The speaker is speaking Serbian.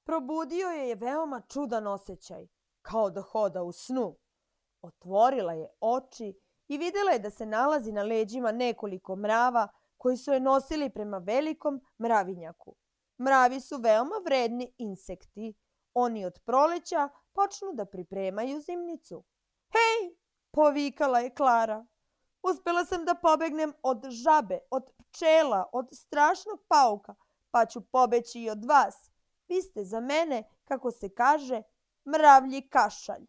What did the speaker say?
Probudio je veoma čudan osjećaj, kao da hoda u snu. Otvorila je oči i videla je da se nalazi na leđima nekoliko mrava koji su je nosili prema velikom mravinjaku. Mravi su veoma vredni insekti. Oni od proleća počnu da pripremaju zimnicu. Hej, povikala je Klara. Uspela sam da pobegnem od žabe, od pčela, od strašnog pauka, pa ću pobeći i od vas. Vi ste za mene, kako se kaže, mravlji kašalj.